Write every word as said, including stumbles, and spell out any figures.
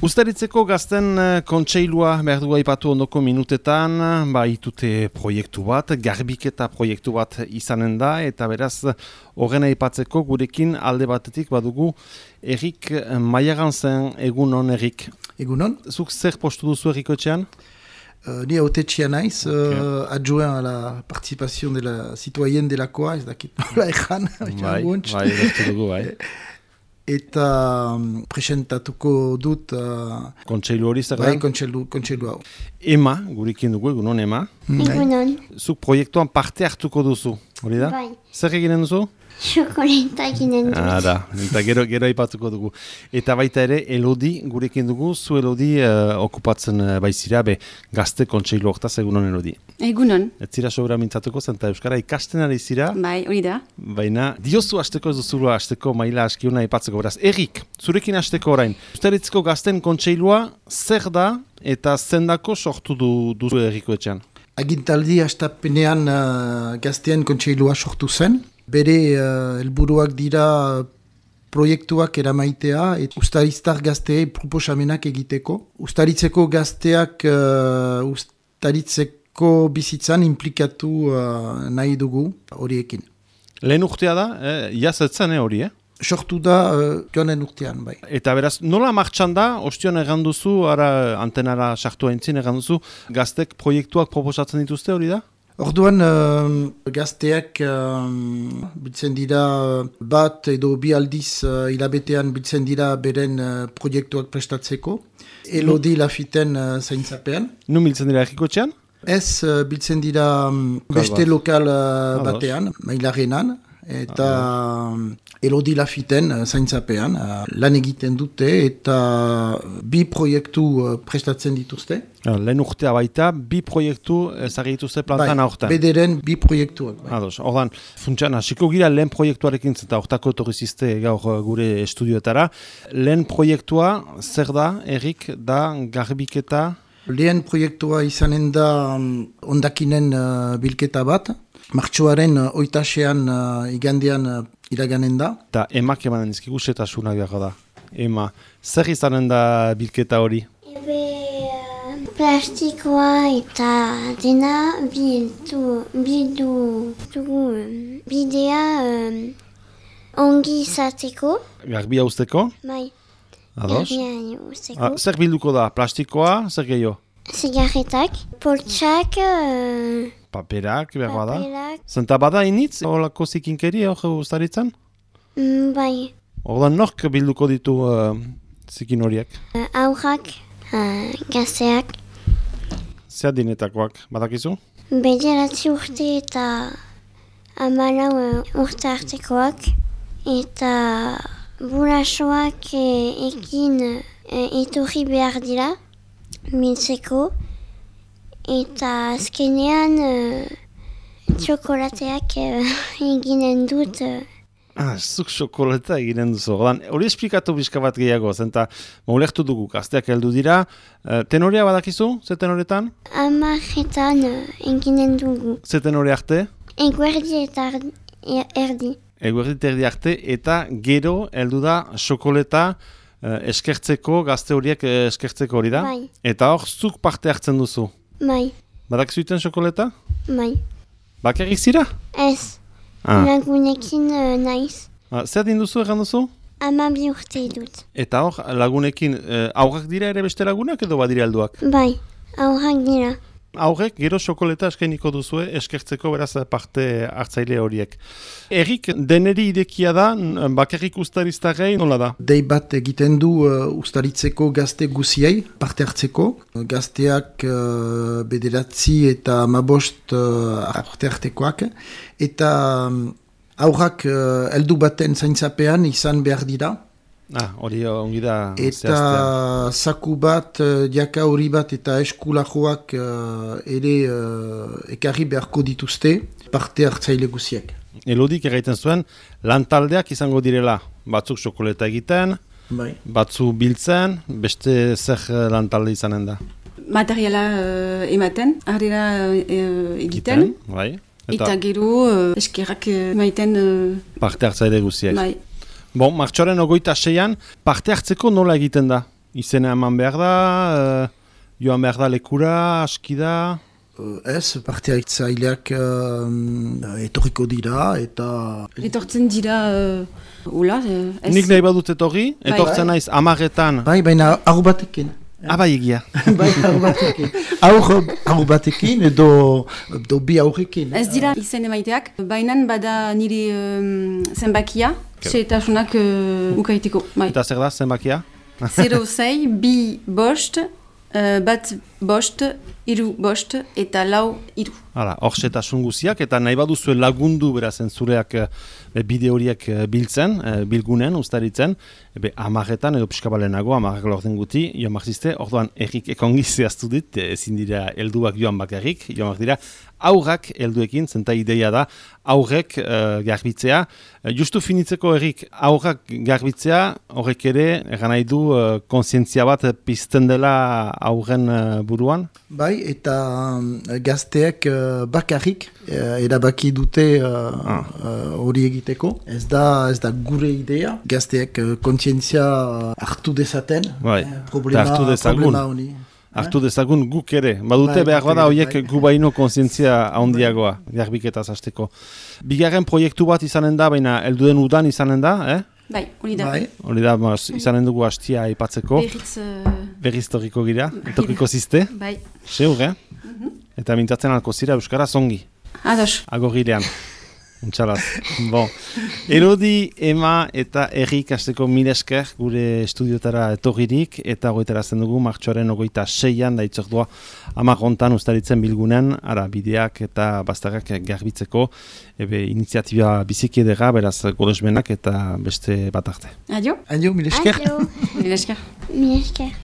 Uztaritzeko gazten kontseilua behar du aipatu ondoko minutetan, ba itute proiektu bat, garbiketa proiektu bat izanen da, eta beraz horren aipatzeko gurekin alde batetik badugu Erik Maiaganzen. Egunon, Erik. Egunon. Zuk zer postu duzu Erikoetxean? Uh, ni autetxea naiz, okay. uh, adjoint à la participation de la citoyenne delakoa, ez dakit nola ezan. Bai, bai, bertu dugu, bai. Eta um, presentatuko dut... Uh, kontseilu hori zer da? Bai, kontseilu, kontseilu hau. Ema, gurekin dugu, egunon Ema. Egunon. Zuk proiektuan parte hartuko duzu, hori da? Bai. Zer eginen duzu? Xokoleta eginen dut. Ah, da, eta gero, gero aipatuko dugu. Eta baita ere, Elodi gurekin dugu, zu Elodi uh, okupatzen uh, baizira, be gazte kontseilu hortaz, egunon Elodi. Egunon. Ez zira sobera mintzatuko, zenta Euskara ikasten ari zira. Bai, hori da. Baina, diozu hasteko ez duzulu hasteko maila askiuna aipatzeko. Beraz, Erik, zurekin hasteko orain. Uztaritzeko gazten kontseilua zer da eta zendako sortu du, duzu Erikoetxean? Agintaldi hastapenean uh, gaztean kontseilua sortu zen. Bere uh, helburuak dira proiektuak eramaitea eta ustariztar gazteei proposamenak egiteko. Ustaritzeko gazteak uh, ustaritzeko bizitzan implikatu uh, nahi dugu horiekin. Lehen urtea da, eh, jazetzen hori, eh? Sortu da uh, joanen urtean, bai. Eta beraz, nola martxan da, ostion erranduzu, ara antenara sartu haintzin erranduzu, gaztek proiektuak proposatzen dituzte hori da? Orduan, uh, gazteak uh, biltzen dira bat edo bi aldiz uh, hilabetean biltzen dira beren uh, proiektuak prestatzeko. Elodi lafiten uh, zaintzapean. Nun biltzen dira Erikoetxean? Ez, uh, biltzen dira um, beste lokal uh, batean, Mailarenan, eta um, Elodi lafiten uh, zaintzapean. Uh, lan egiten dute eta bi proiektu uh, prestatzen dituzte. Lehen urtea baita, bi proiektu ezagri dituzte plantan bai, aurten. Bederen bi proiektuak. Bai. Ados, ordan, funtsan, hasiko gira lehen proiektuarekin zeta hortako etorrizizte gaur gure estudioetara. Lehen proiektua, zer da, Erik, da garbiketa? Lehen proiektua izanen da um, ondakinen uh, bilketa bat. Martxoaren uh, oitasean uh, igandean uh, iraganen da. Eta emak emanen dizkigu setasunak behar da. Ema, zer izanen da bilketa hori? Ebe uh, plastikoa eta dena bildu, bildu dugu bidea um, ongi izateko. Garbia usteko? Bai. Ados? Garbia usteko. Ah, zer bilduko da? Plastikoa, zer gehiago? Zigarretak, poltsak, uh, paperak, behar bada? paperak. Zenta bada initz, horako zikinkeri hor ustaritzen? Mm, bai. Ordan nork bilduko ditu uh, zikin horiek? Uh, aurrak, uh, gazteak, Zer dinetakoak, badakizu? bederatzi urte eta hamalau uh, urte artekoak, eta burasoak eh, ekin eh, etorri behar dira, mintzeko, eta azkenean uh, txokolateak uh, eginen dut. Uh, Ah, zuk xokolata eginen duzu. Ordan, hori esplikatu bizka bat gehiago, zenta maulektu dugu, gazteak heldu dira. Uh, tenorea badakizu, ze tenoretan? Amaretan uh, eginen dugu. Ze tenore arte? Eguerdi eta ardi- er- erdi. Eguerdi terdi arte, eta gero heldu da xokoleta uh, eskertzeko, gazte horiek uh, eskertzeko hori da? Bai. Eta hor, zuk parte hartzen duzu. Bai, Badakizu iten xokoleta? bai. Bakarrik zira? Ez, Ah. lagunekin uh, naiz. Ah, zer din duzu, erran duzu? Amabi urte dut. Eta hor, lagunekin, uh, aurrak dira ere beste lagunak edo badira helduak? Bai, aurrak dira. Aurrek gero xokoleta eskainiko duzue eskertzeko beraz parte hartzaile horiek. Erik, deneri idekia da, bakarrik ustariztarrei nola da? Dei bat egiten du uh, ustaritzeko gazte guziei parte hartzeko. Gazteak uh, bederatzi eta mabost uh, parte hartekoak. Eta um, aurrak uh, heldu baten zaintzapean izan behar dira. Ah, hori ongi da Eta zaku bat, uh, diaka hori bat eta eskulajoak uh, ere uh, ekarri beharko dituzte parte hartzaile guziek. Elodik erraiten zuen, lantaldeak izango direla, batzuk xokoleta egiten, Bai. batzu biltzen, beste zer lantalde izanen da. Materiala uh, ematen, harrera uh, egiten, bai. eta, eta gero uh, eskerrak uh, maiten uh, parte hartzaile guziek. bai. Bon, martxoaren ogoita seian, parte hartzeko nola egiten da? izena eman behar da, uh, joan behar da lekura, aski da... Uh, ez, parte hartzaileak uh, etorriko dira eta... Etortzen dira, uh, ula, uh, ez? Nik nahi badut etorri, Bai. etortzen naiz amaretan. Bai, baina aur batekin. Abai egia. Bai, aur batekin. Aur, aur batekin edo, edo bi aurrekin. Ez dira izen emaiteak, baina bada niri um, zenbakia, xeetasunak uh, ukaiteko. Bai. Eta zer da, zenbakia? Zero zei, bi bost, uh, bat bost, iru bost, eta lau iru. Hala, hor xetasun guziak, eta nahi baduzue lagundu berazen zureak e, bide horiek e, biltzen, e, bilgunen, ustaritzen, ebe amaretan edo pixka balenago, amarrak lorten guti, joan marzizte, orduan errik ekongi zehaztu dit, ezin dira helduak joan bakarrik, joan dira aurrak helduekin, zenta ideia da, aurrek e, garbitzea. E, justu finitzeko errik aurrak garbitzea, horrek ere, eran nahi du, e, konsientzia bat pizten dela aurren e, buruan? Bai, eta um, gazteek uh, bakarrik uh, erabaki dute hori uh, ah. uh, egiteko. Ez da, ez da gure idea. Gazteek uh, kontzientzia hartu dezaten. Bai, eh, problema, hartu dezagun. problema honi. Hartu dezagun guk ere. Badute Bai, behar bada bai, horiek bai. gu baino konsientzia handiagoa, garbiketaz hasteko. Bigarren proiektu bat izanen da, baina helduen udan izanen da, eh? Bai, hori da. Bai. Hori da, mas, izanen dugu hastia aipatzeko. Berriz, uh, Berriz torriko gira, etorriko ziste. bai. Seur, eh? Eta mintzatzen alko zira Euskara zongi. Ados. Agogirean. Untxalaz. Bon. Elodi, Ema eta Errik hasteko mil esker gure estudiotara etorririk eta goitarazten dugu martxoaren ogoita seian da itzordua hamar hontan ustaritzen bilgunen, ara bideak eta bazterrak garbitzeko, ebe iniziatiba biziki edera, beraz golesmenak eta beste bat arte. Adio. Adio, mil esker. Adio. Mil esker. Mil esker.